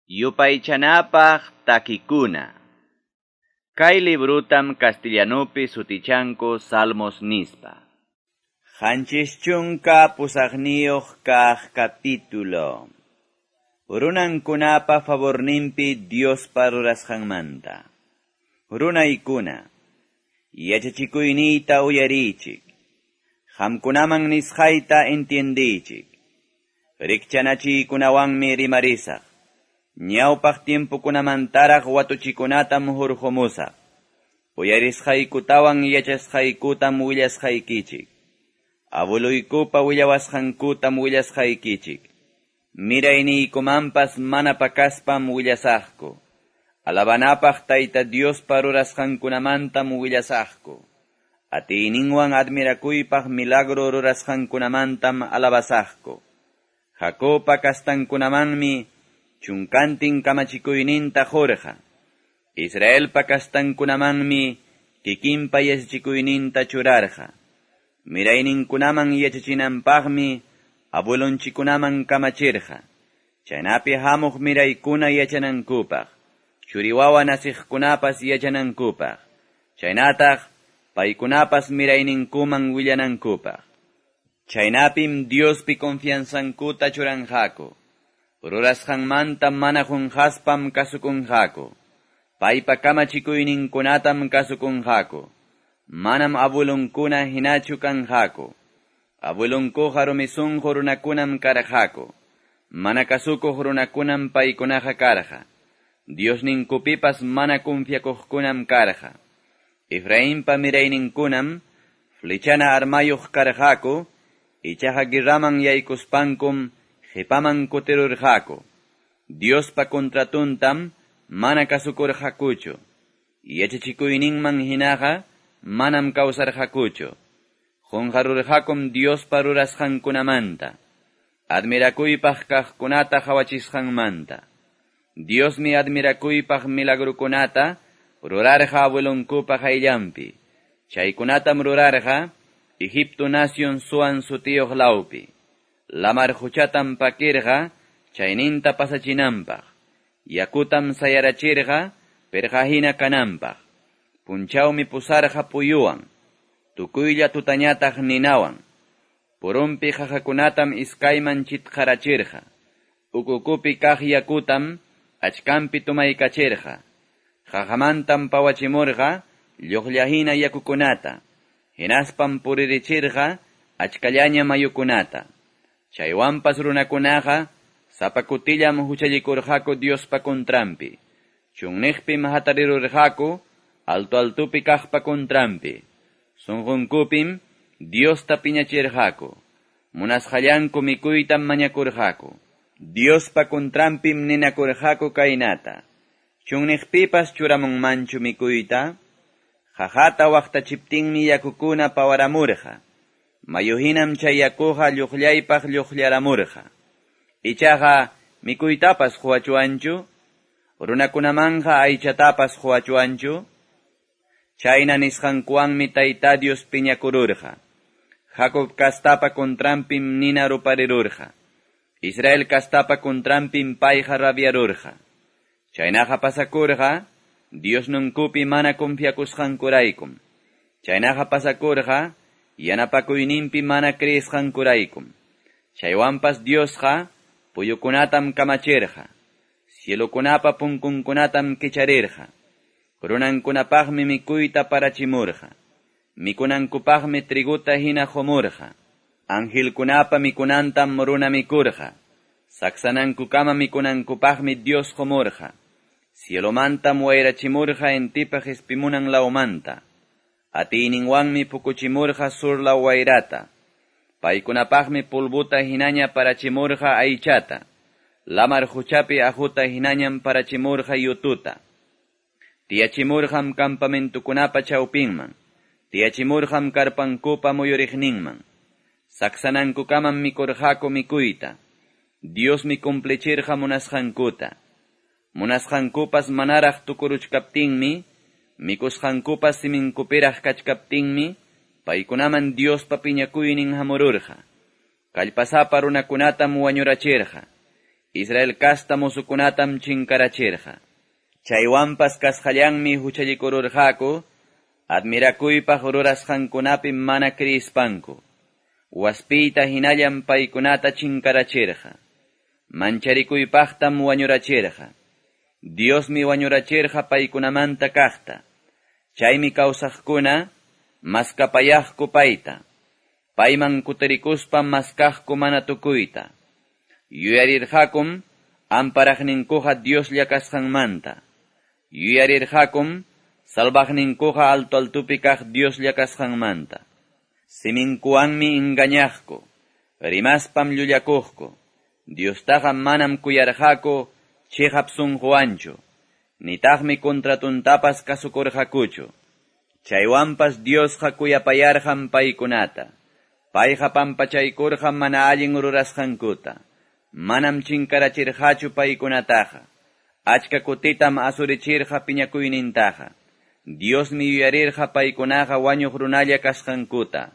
Yupaychanapaq takikuna. Kay librutam castellanupi sutichanku Salmos nispa. 78 kaq capítulo. Runankunapa favorninpi Diospa rurasqanmanta. Runaykuna, yachachikuyniyta uyariychik. Qamkunaman nisqayta entiendiychik. Rikchanachiykunawanmi rimarisaq. Ñawpaq tiempokunamantaraq watuchikunatam hurqumusaq. Uyarisqaykutawan yachasqaykutam willasqaykichik. Abueluykupa willawasqankutam willasqaykichik. Mirayniykumanpas mana pakaspam willasaqku. Alabanapaq Tayta Diospa rurasqankunamantam willasaqku. Atiyninwan admirakuypaq milagro rurasqankunamantam alabasaqku. Jacobpa kastankunamanmi chunkantin kamachikuyninta qurqa. Israelpa kastankunamanmi kikinpa yachachikuyninta churarqa. Mirayninkunaman yachachinanpaqmi abuelonchikunaman kamachirqa. Chaynapi hamuq miraykuna yachanankupaq, churiwawa nasiqkunapas yachanankupaq, chaynataq paykunapas mirayninkuman willanankupaq. Chaynapim Diospi confianzankuta churanqaku. Rurasqanmanta mana qunqaspam kasukunqaku. Paypa kamachikuyninkunatam kasukunqaku. Manam abuelonkuna hinachu kanqaku. Abuelonkuqa rumi sunqu runakunam karqaku. Mana kasukuq runakunam paykunaqa karqa. Diosninkupipas mana confiakuqkunam karqa. Efrainpa mirayninkunam flechana armayuq karqaku, ichaqa guerraman yaykuspankum qipaman kutirurqaku. Diospa contratuntam mana kasukurqakuchu. Yachachikuyninman hinaqa manam kawsarqakuchu. Qunqarurqakum Diospa rurasqankunamanta. Admirakuypaq kaqkunata qhawachisqanmanta. Diosmi admirakuypaq milagrukunata rurarqa abuelonkupa qayllanpi. Chaykunatam rurarqa Egipto nación Zoan sutiyuq lawpi. Lamar quchatam pakirqa chayninta pasachinanpaq. Yakutam sayarachirqa pirqahina kananpaq. Punchawmi pusarqa puyuwan, tukuylla tutañataq ninawan. Purunpi qaqakunatam iskayman chitqarachirqa. Ukukupi kaq yakutam achkanpi tumaykachirqa. Qaqamantam pawachimurqa lluqllahina yakukunata. Hinaspam puririchirqa achkallaña mayukunata. Chaywanpas runakunaqa sapa kutillam huchallikurqaku Diospa contranpi. Chunniqpim hatarirurqaku alto altupi kaqpa contranpi. Sunqunkupim Diosta piñachirqaku. Munasqallanku mikuytam mañakurqaku. Diospa contranpim ninakurqaku kaynata. Chunniqpipas churamunmanchu mikuyta? Qaqata waqtachiptinmi yakukuna pawaramurqa. Mayuhinam chay yakuqa lluqllaypaq lluqllaramurqa. Ichaqa mikuytapas quwachuwanchu? Runakunamanqa aychatapas quwachuwanchu? Chayna nisqankuwanmi Tayta Dios piñakururqa. Jacob kastapa contranpim nina ruparirurqa. Israel kastapa contranpim payqa rabiarurqa. Chaynaqa pasakurqa Diosninkupi mana confiakusqankuraykum. Chaynaqa pasakurqa yanapakuyninpi mana creesqankuraykum. Chaywanpas Diosqa puyukunatam kamachirqa. Cielokunapa punkunkunatam kicharirqa. Runankunapaqmi mikuyta parachimurqa. Mikunankupaqmi triguta hina qumurqa. Angelkunapa mikunantam runa mikurqa. Saksanankukama mikunankupaqmi Dios qumurqa. Cielomantam wayrachimurqa intipa qispimunan lawmanta. Atiyninwanmi pukuchimurqa sur law wayrata. Paykunapaqmi pulbuta hinaña parachimurqa aychata. Lamar quchapi aquta hinañam parachimurqa yututa. Tiyachimurqam campamentukunapa chawpinman. Tiyachimurqam karpankupa muyuriqninman. Saksanankukamam mikurqaku mikuyta. Diosmi cumplichirqa munasqankuta. Munasqankupas manaraq tukuruchkaptinmi, mikusqankupas siminkupiraq kachkaptinmi, paykunaman Diospa piñakuynin hamururqa. Kallpasapa runakunatam wañurachirqa. Israel casta mozukunatam chinkarachirqa. Chaywanpas kasqallanmi huchallikururqaku, admirakuypaq rurasqankunapi mana kriispanku. Waspiyta hinallam paykunata chinkarachirqa. Mancharikuypaqtam wañurachirqa. Diosmi wañurachirqa paykunamanta kaqta. Chaymi kawsaqkuna maskapayaqku payta. Payman kutirikuspa maskaqku mana tukuyta. Yuyarirqakum amparaqninkuqa Dioslla kasqanmanta. Yuyarirqakum salvaqninkuqa alto altupi kaq Dioslla kasqanmanta. Siminkuwanmi engañaqku, rimaspam llullakuqku. Diostaqa manam kuyarqaku chiqap sunquwanchu, nitaqmi contratuntapas kasukurqakuchu. Chaywanpas Diosqa kuyapayarqam paykunata. Payqa pampachaykurqam mana allin rurasqankuta. Manam chinkarachirqachu paykunataqa. Achka kutitam asurichirqa piñakuynintaqa. Diosmi yuyarirqa paykunaqa wañuq runalla kasqankuta.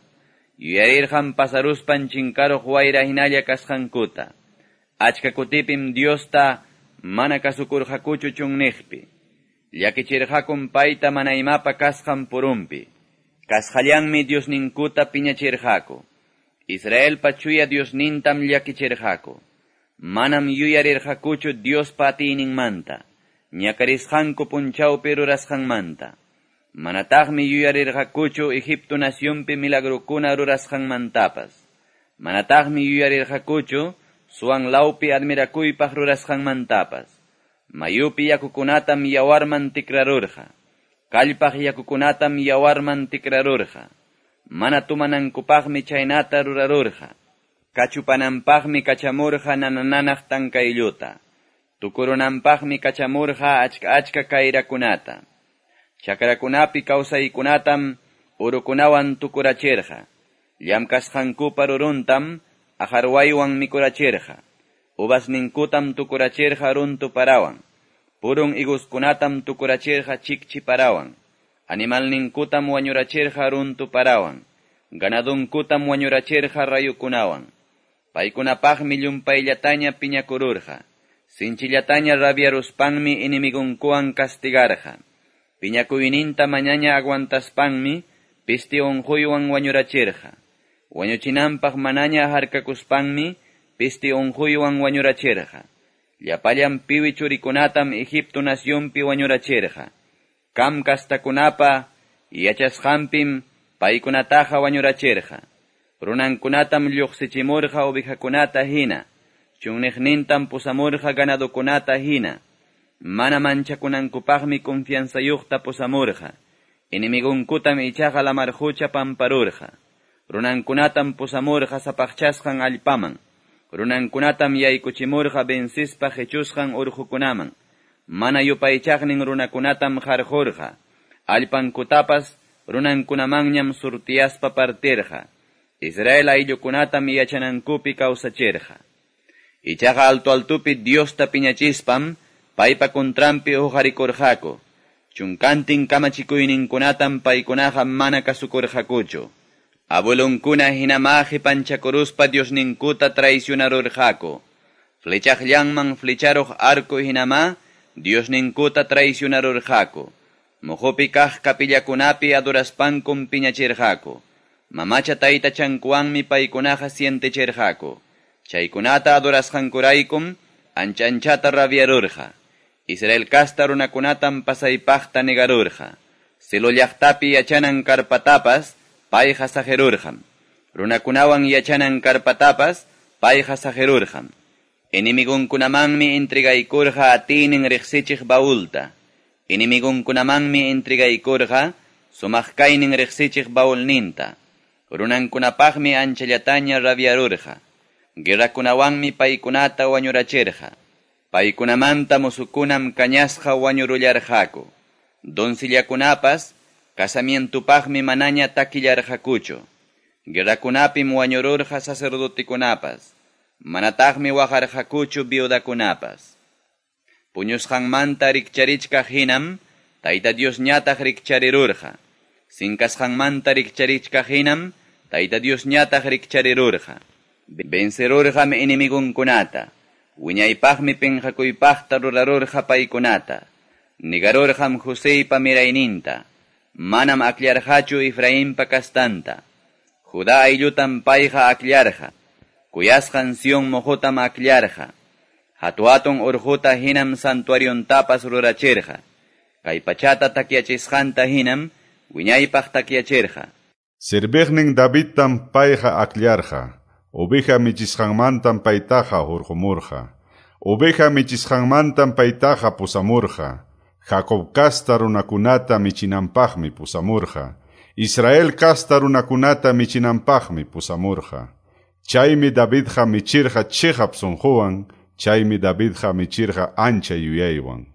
Yuyarirqam pasaruspan chinkaruq wayra hinalla kasqankuta. Achka kutipim Diosta mana kasukurqakuchu chunniqpi. Llakichirqakum payta mana imapa kasqan purumpi. Kasqallanmi Diosninkuta piñachirqaku. Israelpa chuya Diosnintam llakichirqaku. Manam yuyarirqakuchu Diospa atiyninmanta, ñakarisqanku punchawpi rurasqanmanta. Manataqmi yuyarirqakuchu Egipto nacionpi milagrokuna rurasqanmantapas. Manataqmi yuyarirqakuchu Suan lawpi admirakuypaq rurasqanmantapas. Mayupi yakukunatam yawarman tikrarurqa. Kallpaq yakukunatam yawarman tikrarurqa. Mana tumanankupaqmi chaynata rurarurqa. Kachupananpaqmi kachamurqa nanananaq tankaylluta. Tukurunanpaqmi kachamurqa achka achka kayrakunata. Chakrakunapi kawsaykunatam urukunawan tukurachirqa. Llamkasqankupa ruruntam ajarwaywan mikurachirqa. Uvasninkutam tukurachirqa runtu parawan. Purun higoskunatam tukurachirqa chikchi parawan. Animalninkutam wañurachirqa runtu parawan. Ganadunkutam wañurachirqa rayukunawan. Paykunapaqmi llumpayllataña piñakururqa. Sinchillataña rabiaruspanmi enemigunkuwan castigarqa. Piñakuyninta mañaña aguantaspanmi pisti unquywan wañurachirqa. Wañuchinanpaq manaña harkakuspanmi pisti unquywan wañurachirqa. Llapallan piwi churikunatam Egipto nacionpi wañurachirqa. Cam kastakunapa yachasqanpim paykunataqa wañurachirqa. Runankunatam lluqsichimurqa ovejakunata hina. Chunniqnintam pusamurqa ganadokunata hina. Mana manchakunankupaqmi confianzayuqta pusamurqa. Enemigunkutam ichaqa lamar qucha pamparurqa. Runankunatam pusamurqa sapaqchasqan allpaman. Runankunatam yaykuchimurqa vencispa qechusqan urqukunaman. Mana yupaychaqnin runakunatam qarqurqa. Allpankutapas runankunamanñam surtiyaspa partirqa. Israel ayllukunatam yachanankupi kawsachirqa. Ichaqa alto altupi Diosta piñachispam paypa contranpi huqarikurqaku. Chunkantin kamachikuyninkunatam paykunaqa mana kasukurqakuchu. Abuelonkuna hinama qipanchakuruspa Diosninkuta traicionarurqaku. Flechaqllanman flecharuq arco hinama Diosninkuta traicionarurqaku. Muhupi kaq kapillakunapi adoraspankum piñachirqaku. Mamacha taytachankuwanmi paykunaqa sientechirqaku. Chaykunata adorasqankuraykum ancha anchata rabiarurqa. Israel casta runakunatam pasaypaqta negarurqa. Silo llaqtapi yachanan karpatapas payqa saqirurqam. Runakunawan yachanan karpatapas payqa saqirurqam. Enemigunkunamanmi entregaykurqa atiynin riqsichiq baulta. Enemigunkunamanmi entregaykurqa sumaq kaynin riqsichiq baulninta. Runankunapaqmi anchallataña rabiarurqa. Guerrakunawanmi paykunata wañurachirqa. Paykunamanta musukunam kañasqa wañurullarqaku. Doncillakunapas casamientupaqmi manaña takillarqakuchu. Guerrakunapim wañururqa sacerdotikunapas. Manataqmi waqarqakuchu viudakunapas. Puñusqanmanta rikcharichkaq hinam, Tayta Diosñataq rikcharirurqa. Sinkasqanmanta rikcharichkaq hinam, Tayta Diosñataq rikcharirurqa. Vencerurqam enemigunkunata. Wiñaypaqmi penqakuypaqta rurarurqa paykunata. Negarurqam Joseypa mirayninta. Manam akllarqachu Efrainpa kastanta. Judá ayllutam payqa akllarqa. Kuyasqan Sion moqotam akllarqa. Hatu-hatun urquta hinam santuariontapas rurachirqa. Kay pachata takyachisqanta hinam wiñaypaq takyachirqa. Serviqnin Davidtam payqa akllarqa. Oveja michisqanmantam paytaqa hurqumurqa. Oveja michisqanmantam paytaqa pusamurqa. Jacob kasta runakunata michinanpaqmi pusamurqa. Israel kasta runakunata michinanpaqmi pusamurqa. Chaymi Davidqa michirqa chiqap sunquwan, chaymi Davidqa michirqa ancha yuyaywan.